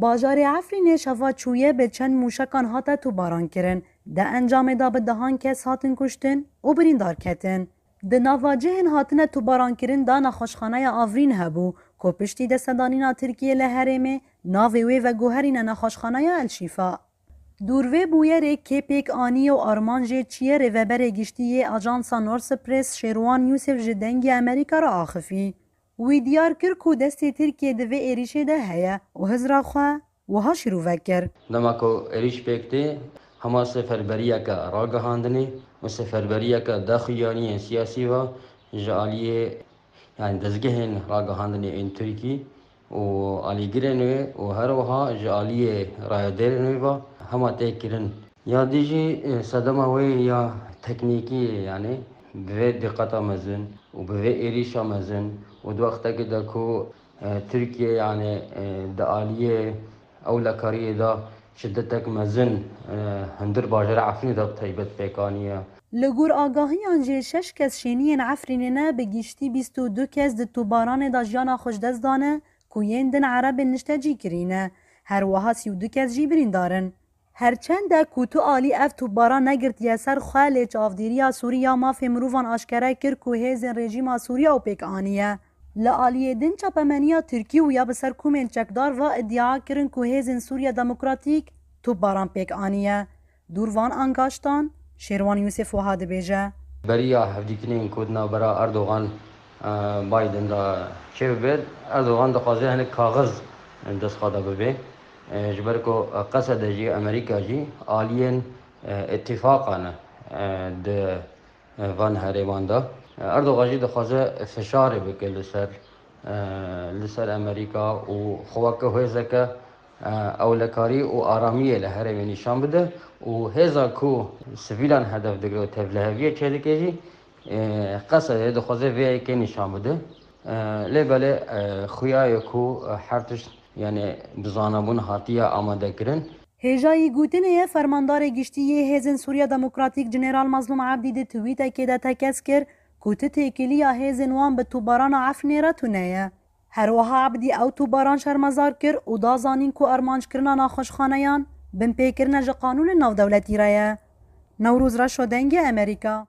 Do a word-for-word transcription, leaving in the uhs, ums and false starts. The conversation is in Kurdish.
Bajarê Efrînê şeva çûye bi çend mûşekan hate tûbaran kirin. Di encamê de bi dehan kes hatin kuştin û birîndar ketin. Di nava cihên hatine tûbarankirin de nexweşxaneya Avrîn hebû, ku piştî destedanîna Tirkiyê li herêmê, navê wê veguherîne nexweşxaneya El Şîfa. Dûr vê bûyerê kê pêk aniye û armanc jê çi ye, rêveberê giştî yê Ajansa Norse Press Şêrwan Yûsif ji Dengê Amerîka re axifî. Wî diyar kir ku destê Tirkiyê di vê êrîşê de heye û hizra xwe wiha şîrove kir. Dema ku êrîş pêk tê, hema seferberiyeke ragihandinê û seferberiyeke daxuyaniyên siyasî ve ji aliyê, yani dezgehên ragihandinê ên Tirkî û alîgirên wê û her wiha ji aliyê rayedêrên wê ve hema tê kirin. Ya dî jî, e, sedema wê ya teknîkî, yani bi vê diqeta mezin û bi vê êrîşa mezin û di wextekê de ku, e, Tirkiye, yani, e, di aliyê ewlekariyê de şidetek mezin, e, hundir bajara Efrînê de bi taybet pêk aniye. Li gor agahiyan jî şeş kes şêniyên Efrînê ne, bi giştî bîst û du kes di tûbaranê de jiyana xwe ji dest dane ku yên din erebên niştecî kirî ne. Her wiha sî û du kes jî birîndar in. Her çend e ku tu alî ev tûbaran negirtiye ser xwe, lê çavdêriya Sûrî ya mafê mirovan aşkere kir ku hêzên rejîma Sûriya û pêk aniye. Li aliyê din çapemeniya Tirkî û ya bi ser komên çekdar ve îdia kirin ku hêzên Sûriya Demokratîk tûbaran pêk aniye. Dûr van angaştan, Şêrwan Yûsif wiha dibêje. Beriya hevdîtinên ku di navbera Erdogan, e, Biden de çêbibe, Erdogan dixwaze hinek kaxiz dest xwe de bibe. E, ji ber ku Qesede jî, Amerîka jî aliyên, e, îtîfaqa ne, e, di, e, van herêman de. E, Erdogan jî dixwaze fişarê bike li ser, e, li ser Amerîka û xwe weke hêzeke, e, ewlekarî û aramiyê li herêmê nîşan bide û hêza ku sivîlan hedef digire û tevliheviyê çêdike jî, e, Qesedê dixwaze vê yekê nîşan bide. E, lê belê, e, xuya ye ku, e, her tişt, yani, bi zanabûn hatiye amadekirin. Hêjayî gotinê ye, fermandarê giştî yê Hêzên Sûriya Demokratîk General Mazlûm Ebdî di twîtekê de tekez kir ku ti têkiliya hêzên wan bi tûbarana Efrînê re tune ye. Her wiha Ebdî ew tûbaran şermezar kir û da zanîn ku armanckirina naxweşxaneyan binpêkirine ji qanûnên navdewletî re ye. Newroz Reşo, Dengê Amerîka.